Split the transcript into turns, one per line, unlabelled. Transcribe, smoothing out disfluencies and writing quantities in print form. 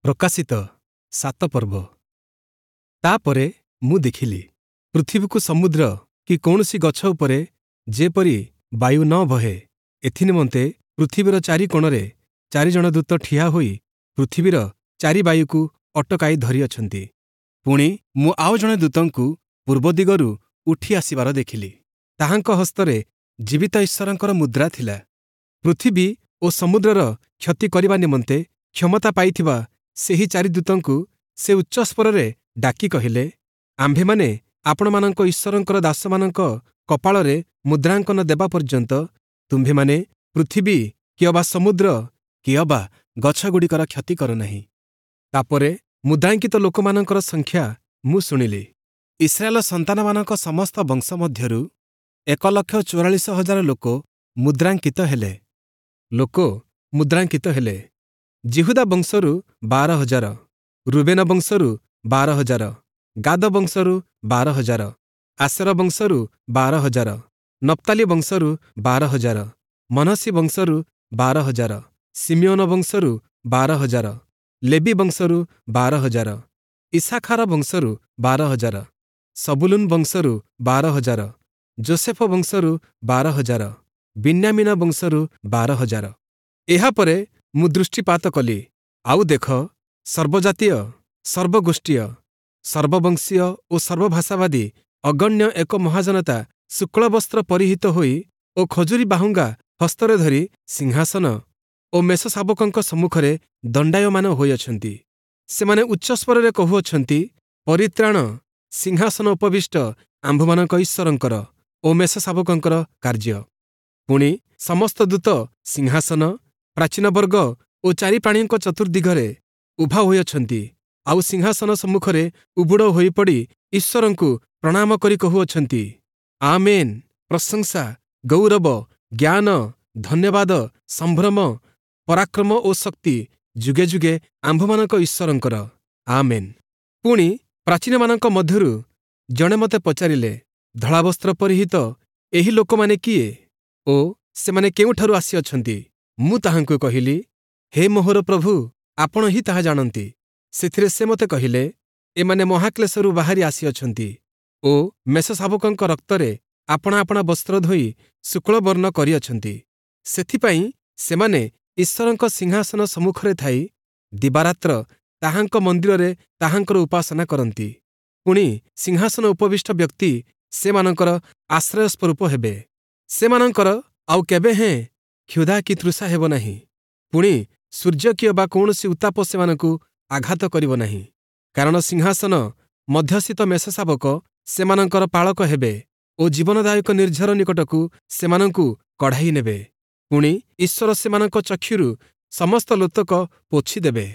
ପ୍ରକାଶିତ 7 ପର୍ବ। ତାପରେ ମୁଁ ଦେଖିଲି, ପୃଥିବୀକୁ ସମୁଦ୍ର କି କୌଣସି ଗଛ ଉପରେ ଯେପରି ବାୟୁ ନ ବହେ, ଏଥିନିମନ୍ତେ ପୃଥିବୀର ଚାରି କୋଣରେ ଚାରିଜଣ ଦୂତ ଠିଆ ହୋଇ ପୃଥିବୀର ଚାରି ବାୟୁକୁ ଅଟକାଇ ଧରିଅଛନ୍ତି। ପୁଣି ମୁଁ ଆଉ ଜଣେ ଦୂତଙ୍କୁ ପୂର୍ବ ଦିଗରୁ ଉଠି ଆସିବାର ଦେଖିଲି। ତାହାଙ୍କ ହସ୍ତରେ ଜୀବିତ ଈଶ୍ୱରଙ୍କର ମୁଦ୍ରା ଥିଲା। ପୃଥିବୀ ଓ ସମୁଦ୍ରର କ୍ଷତି କରିବା ନିମନ୍ତେ କ୍ଷମତା ପାଇଥିବା ସେହି ଚାରି ଦୂତଙ୍କୁ ସେ ଉଚ୍ଚସ୍ୱରରେ ଡାକି କହିଲେ, ଆମ୍ଭେମାନେ ଆପଣମାନଙ୍କ ଈଶ୍ୱରଙ୍କର ଦାସମାନଙ୍କ କପାଳରେ ମୁଦ୍ରାଙ୍କନ ଦେବା ପର୍ଯ୍ୟନ୍ତ ତୁମ୍ଭେମାନେ ପୃଥିବୀ କିଅବା ସମୁଦ୍ର କିଅବା ଗଛଗୁଡ଼ିକର କ୍ଷତି କର ନାହିଁ। ତାପରେ ମୁଦ୍ରାଙ୍କିତ ଲୋକମାନଙ୍କର ସଂଖ୍ୟା ମୁଁ ଶୁଣିଲି। ଇସ୍ରାଏଲ ସନ୍ତାନମାନଙ୍କ ସମସ୍ତ ବଂଶ ମଧ୍ୟରୁ 1,44,000 ଲୋକ ମୁଦ୍ରାଙ୍କିତ ହେଲେ। ଲୋକ ମୁଦ୍ରାଙ୍କିତ ହେଲେ। ଯିହୁଦା ବଂଶରୁ 12,000, ରୁବେନ ବଂଶରୁ 12,000, ଗାଦ ବଂଶରୁ 12,000, ଆଶେର ବଂଶରୁ 12,000, ନପ୍ତାଲି ବଂଶରୁ 12,000, ମନଃଶି ବଂଶରୁ 12,000, ଶିମିୟୋନ ବଂଶରୁ 12,000, ଲେବି ବଂଶରୁ 12,000, ଇସ୍ସାଖାର ବଂଶରୁ 12,000, ସବୁଲୁନ ବଂଶରୁ 12,000, ଯୋସେଫ ବଂଶରୁ 12,000, ବିନ୍ୟାମୀନ ବଂଶରୁ 12,000। ଏହାପରେ ମୁଁ ଦୃଷ୍ଟିପାତ କଲି, ଆଉ ଦେଖ, ସର୍ବଜାତୀୟ, ସର୍ବଗୋଷ୍ଠୀୟ, ସର୍ବବଂଶୀୟ ଓ ସର୍ବଭାଷାବାଦୀ ଅଗଣ୍ୟ ଏକ ମହାଜନତା ଶୁକ୍ଳବସ୍ତ୍ର ପରିହିତ ହୋଇ ଓ ଖଜୁରୀ ବାହୁଙ୍ଗା ହସ୍ତରେ ଧରି ସିଂହାସନ ଓ ମେଷଶାବକଙ୍କ ସମ୍ମୁଖରେ ଦଣ୍ଡାୟମାନ ହୋଇଅଛନ୍ତି। ସେମାନେ ଉଚ୍ଚସ୍ୱରରେ କହୁଅଛନ୍ତି, ପରିତ୍ରାଣ ସିଂହାସନ ଉପବିଷ୍ଟ ଆମ୍ଭମାନଙ୍କ ଈଶ୍ୱରଙ୍କର ଓ ମେଷଶାବକଙ୍କର କାର୍ଯ୍ୟ। ପୁଣି ସମସ୍ତ ଦୂତ ସିଂହାସନ, ପ୍ରାଚୀନବର୍ଗ ଓ ଚାରି ପ୍ରାଣୀଙ୍କ ଚତୁର୍ଦ୍ଦିଗରେ ଉଭା ହୋଇଅଛନ୍ତି, ଆଉ ସିଂହାସନ ସମ୍ମୁଖରେ ଉବୁଡ଼ ହୋଇପଡ଼ି ଈଶ୍ୱରଙ୍କୁ ପ୍ରଣାମ କରି କହୁଅଛନ୍ତି, ଆମେନ୍, ପ୍ରଶଂସା, ଗୌରବ, ଜ୍ଞାନ, ଧନ୍ୟବାଦ, ସମ୍ଭ୍ରମ, ପରାକ୍ରମ ଓ ଶକ୍ତି ଯୁଗେ ଯୁଗେ ଆମ୍ଭମାନଙ୍କ ଈଶ୍ୱରଙ୍କର, ଆମେନ୍। ପୁଣି ପ୍ରାଚୀନମାନଙ୍କ ମଧ୍ୟରୁ ଜଣେ ମୋତେ ପଚାରିଲେ, ଧଳାବସ୍ତ୍ର ପରିହିତ ଏହି ଲୋକମାନେ କିଏ ଓ ସେମାନେ କେଉଁଠାରୁ ଆସିଅଛନ୍ତି? ମୁଁ ତାହାଙ୍କୁ କହିଲି, ହେ ମୋହର ପ୍ରଭୁ, ଆପଣ ହିଁ ତାହା ଜାଣନ୍ତି। ସେଥିରେ ସେ ମୋତେ କହିଲେ, ଏମାନେ ମହାକ୍ଲେଶରୁ ବାହାରି ଆସିଅଛନ୍ତି ଓ ମେଷଶାବକଙ୍କ ରକ୍ତରେ ଆପଣା ଆପଣା ବସ୍ତ୍ର ଧୋଇ ଶୁକ୍ଳବର୍ଣ୍ଣ କରିଅଛନ୍ତି। ସେଥିପାଇଁ ସେମାନେ ଈଶ୍ୱରଙ୍କ ସିଂହାସନ ସମ୍ମୁଖରେ ଥାଇ ଦିବାରାତ୍ର ତାହାଙ୍କ ମନ୍ଦିରରେ ତାହାଙ୍କର ଉପାସନା କରନ୍ତି। ପୁଣି ସିଂହାସନ ଉପବିଷ୍ଟ ବ୍ୟକ୍ତି ସେମାନଙ୍କର ଆଶ୍ରୟସ୍ୱରୂପ ହେବେ। ସେମାନଙ୍କର ଆଉ କେବେ ହେଁ କ୍ଷୁଧା କି ତୃଷା ହେବ ନାହିଁ। ପୁଣି ସୂର୍ଯ୍ୟ କିଅବା କୌଣସି ଉତ୍ତାପ ସେମାନଙ୍କୁ ଆଘାତ କରିବ ନାହିଁ। କାରଣ ସିଂହାସନ ମଧ୍ୟସ୍ଥିତ ମେଷଶାବକ ସେମାନଙ୍କର ପାଳକ ହେବେ ଓ ଜୀବନଦାୟକ ନିର୍ଝର ନିକଟକୁ ସେମାନଙ୍କୁ କଢ଼ାଇ ନେବେ। ପୁଣି ଈଶ୍ୱର ସେମାନଙ୍କ ଚକ୍ଷୁରୁ ସମସ୍ତ ଲୋତକ ପୋଛିଦେବେ।